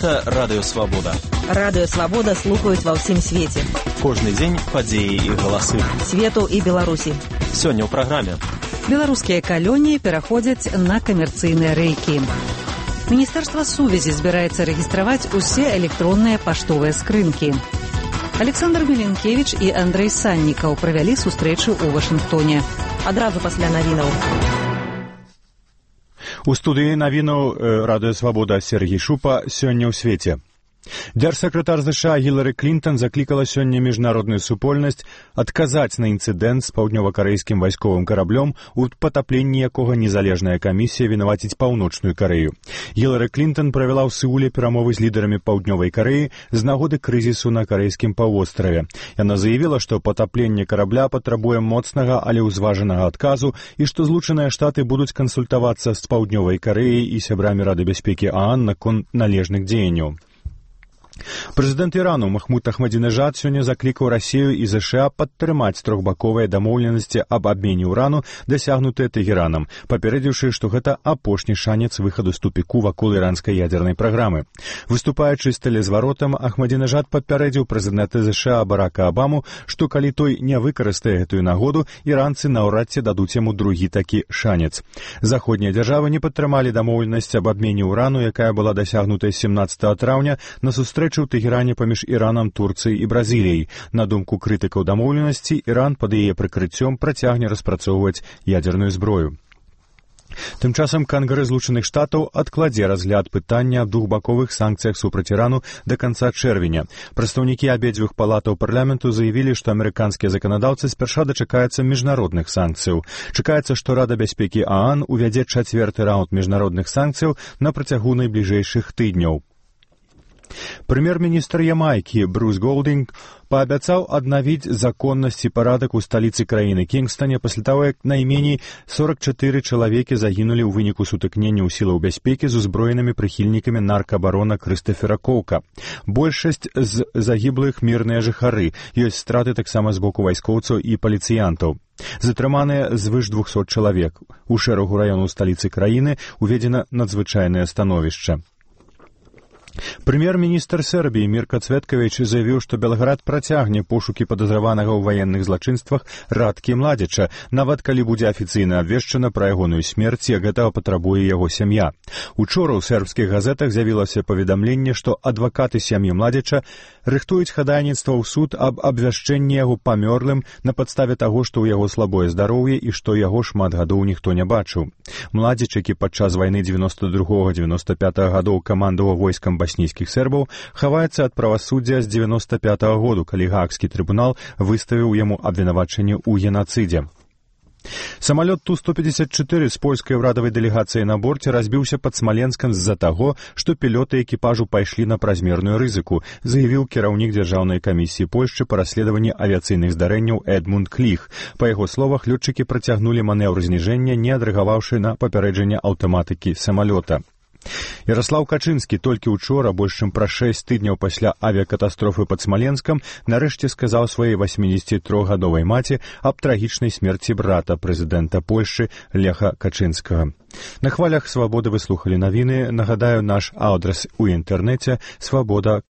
Гэта Радыё Свабода. Радыё Свабода слухаюць ва ўсім свеце. Кожны дзень падзеі і галасы. Свету і Беларусі. Сёння ў праграме. Беларускія калоніі пераходзяць на камерцыйныя рэйкі. Міністэрства сувязі збіраецца рэгістраваць усе электронныя паштовыя скрынкі. Александр Меленкевич і Андрэй Саннікаў правялі сустрэчу ў Вашынгтоне. Адразу пасля навінаў. У студыі навінаў Радыё Свабода Сергій Шупа сёння ў свеце. Дзяржсакратар США Гілары Клінтан заклікала сёння міжнародную супольнасць адказаць на інцыдэнт з паўднёва-карэйскім вайсковым караблём, у патапленні якога незалежная камісія вінаваціць Паўночную Карэю. Гілары Клінтан правяла ў Сеуле перамовы з лідарамі Паўднёвай Карэі з нагоды крызісу на карэйскім паўвостраве. Яна заявіла, што патапленне карабля патрабуе моцнага, але ўзважанага адказу і што Злучаныя Штаты будуць кансультавацца з Паўднёвай Карэяй і сябрамі Рады бяспекі ААН наконт належных дзеянняў. Прэзідэнт Ірану Махмуд Ахмадзінежад сёння заклікаў Расію і ЗША падтрымаць трохбаковыя дамоўленасці аб абмене ўрану, дасягнутыя Тэгеранам, папярэдзіўшы, што гэта апошні шанец выхаду з тупіку вакол іранскай ядзернай праграмы. Выступаючы з тэлезваротам, Ахмадзінежад папярэдзіў прэзідэнта ЗША Барака Абаму, што калі той не выкарыстае гэтую нагоду, іранцы наўрад ці дадуць яму другі такі шанец. Заходнія дзяржавы не падтрымалі дамоўленасць аб абмене ўрану, якая была дасягнутая 17 траўня на сустрэчу ў Тэгеране паміж Іранам, Турцыяй і Бразіліяй. На думку крытыкаў дамоўленасці, Іран пад яе прыкрыццём працягне распрацоўваць ядзерную зброю. Тым часам Кангрэс Злучаных Штатаў адкладзе разгляд пытання аб двухбаковых санкцыях супраць Ірану да канца чэрвеня. Прадстаўнікі абедзвюх палатаў парламенту заявілі, што амерыканскія заканадаўцы спярша дачакаюцца міжнародных санкцыяў. Чакаецца, што Рада бяспекі ААН увядзе чацвёрты раунд міжнародных санкцыяў на працягу найбліжэйшых тыдняў. Прэм'ер-міністр Ямайкі Брус Голдинг паабяцаў аднавіць законнасць і парадак у сталіцы краіны Кінгстане пасля таго, як найменей 44 чалавекі загінулі ў выніку сутыкнення ў сілаў бяспекі з узброенымі прыхільнікамі наркабарона Крыстафера Коука. Большасць з загіблых мірныя жыхары, ёсць страты таксама з боку вайскоўцаў і паліцыянтаў. Затрыманыя звыш 200 чалавек. У шэрагу раёнаў сталіцы краіны уведзена надзвычайнае становішча. Прэм'ер-міністр Сербіі Мірка Цветкавіч заявіў, што Белград працягне пошукі падазраванага ў ваенных злачынствах Радкі Младзіча, нават калі будзе афіцыйна абвешчана пра ягоную смерць, як гэтага патрабуе яго сям'я. Учора ў сербскіх газетах з'явілася паведамленне, што адвакаты сям'і Младзіча рыхтуюць хадайніцтва ў суд аб абвяшчэнні яго памёрлым на падставе таго, што ў яго слабое здароўе і што яго шмат гадоў ніхто не бачыў. Младзіч, які падчас вайны 92-95 гадоў камандаваў войскам баснійскіх сербаў, хаваецца ад правасуддзя з 95-го году, калі Гаагскі трыбунал выставіў яму абвінавачанне ў генацыдзе. Самалёт Ту-154 з польскай урадавай дэлегацыяй на борце разбіўся пад Смаленскам з-за таго, што пілоты экіпажу пайшлі на празмерную рызыку, заявіў кіраўнік Дзяржаўнай камісіі Польшчы па расследаванні авіяцыйных здарэнняў Эдмунд Кліх. Па яго словах, лётчыкі працягнулі манеўр зніжэння, не адрэагаваўшы на папярэджанне аўтаматыкі самалёта. Яраслаў Качынскі толькі учора, больш чым пра 6 тыдняў пасля авіякатастрофы пад Смаленскам, нарэшце сказаў сваёй 83-гадовай маці аб трагічнай смерці брата прэзідэнта Польшчы Леха Качынскага. На хвалях Свабоды вы слухалі навіны. Нагадаю, наш адрес у інтэрнэце свабода.орг.